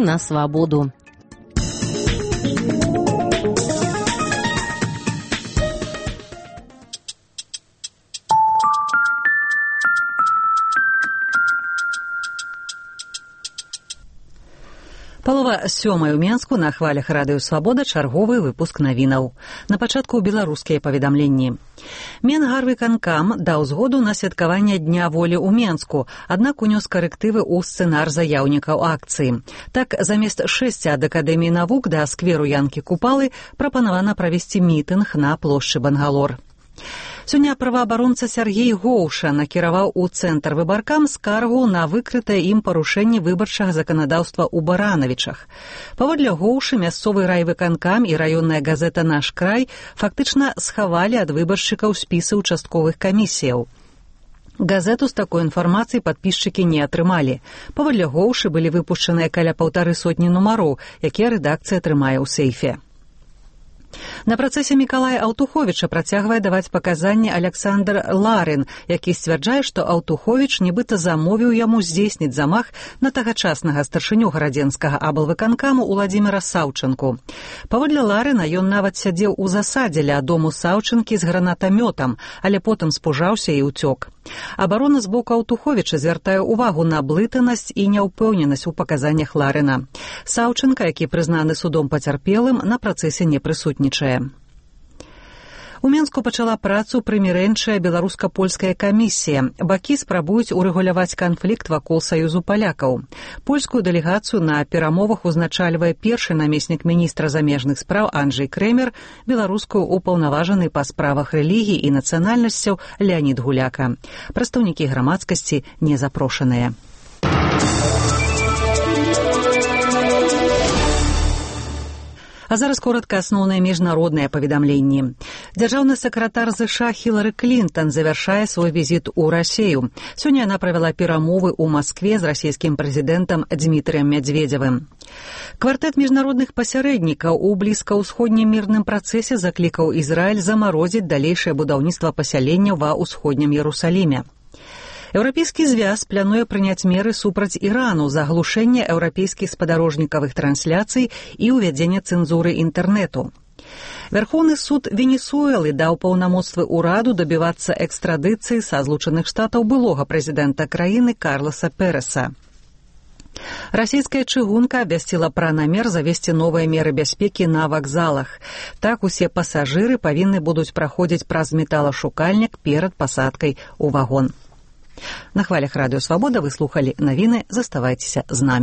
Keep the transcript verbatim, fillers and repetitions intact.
на свабоду. Палова сёмай у Менску, на хвалях радыё «Свабода» чарговы выпуск навінаў. На пачатку беларускія паведамленні. Менгарвыканкам даў згоду на святкаванне Дня волі ў Менску, аднак унёс карэктывы ў сцэнар заяўнікаў акцыі. Так, замест шэсці ад Акадэміі навук да скверу Янкі Купалы прапанавана правесці мітынг на плошчы Бангалор. Сёння праваабаронца Сяргей Гоўша накіраваў у цэнтр выбаркам скаргу на выкрытае ім парушэнне выбарчага заканадаўства ў Баранавічах. Паводле Гоўшы, мясцовы райвыканкам і раённая газета «Наш край» фактычна схавалі ад выбаршчыкаў спісы ўчастковых камісіяў. Газету з такой інфармацыяй падпісчыкі не атрымалі. Паводле Гоўшы былі выпушчаныя каля паўтары сотні нумароў, якія рэдакцыя трымае ў сейфе. На працэсе Мікалая Аўтуховіча працягвае даваць паказанні Аляксандр Ларин, які сцвярджае, што Аўтуховіч нібыта замовіў яму здзейсніць замах на тагачаснага старшыню гарадзенскага аблвыканкаму Уладзіміра Саўчынку. Паводле Ларина, ён нават сядзеў у засадзе ля дому Саўчынкі з гранатамётам, але потым спужаўся і ўцёк. Абарона з боку Аўтуховіча звяртае ўвагу на блытанасць і няўпэўненасць у паказаннях Ларина. Саўчынка, які прызнаны судом пацярпелым, на працэсе не прысутнічае. У Менску пачала працу прымірэнчая беларуска-польская камісія. Бакі спрабуюць урэгуляваць канфлікт вакол саюзу палякаў. Польскую дэлегацыю на перамовах узначальвае першы намеснік міністра замежных спраў Анджэй Крэмер, беларускую упаўнаважаны па справах рэлігій і нацыянальнасцяў Леанід Гуляка. Прадстаўнікі грамадскасці не запрошаныя. А зараз коротка асноўныя міжнародныя паведамленні. Дзяржаўны сакратар ЗША Хілары Клінтон завяршае свой візіт у Расію. Сёння яна правяла перамовы ў Маскве з расійскім прэзідэнтам Дмітрыем Мядзведзевым. Квартэт міжнародных пасярэднікаў у блізкаўсходнім мірным працэсе заклікаў Ізраіль замарозіць далейшае будаўніцтва пасяленняў ва ўсходнім Ерусаліме. Еўрапейскі звяз плануе прыняць меры супраць Ірану за аглушэнне еўрапейскіх спадарожнікавых трансляцый і ўвядзенне цэнзуры інтэрнэту. Вярхоўны суд Венесуэлы даў паўнамоцтвы ўраду дабівацца экстрадыцыі са Злучаных Штатаў былога прэзідэнта краіны Карласа Переса. Расійская чыгунка абвясціла пра намер завесці новыя меры бяспекі на вакзалах. Так усе пасажыры павінны будуць праходзіць праз металашукальнік перад пасадкай у вагон. На хвалях радыё «Свабода» вы слухалі навіны, заставайцеся з намі.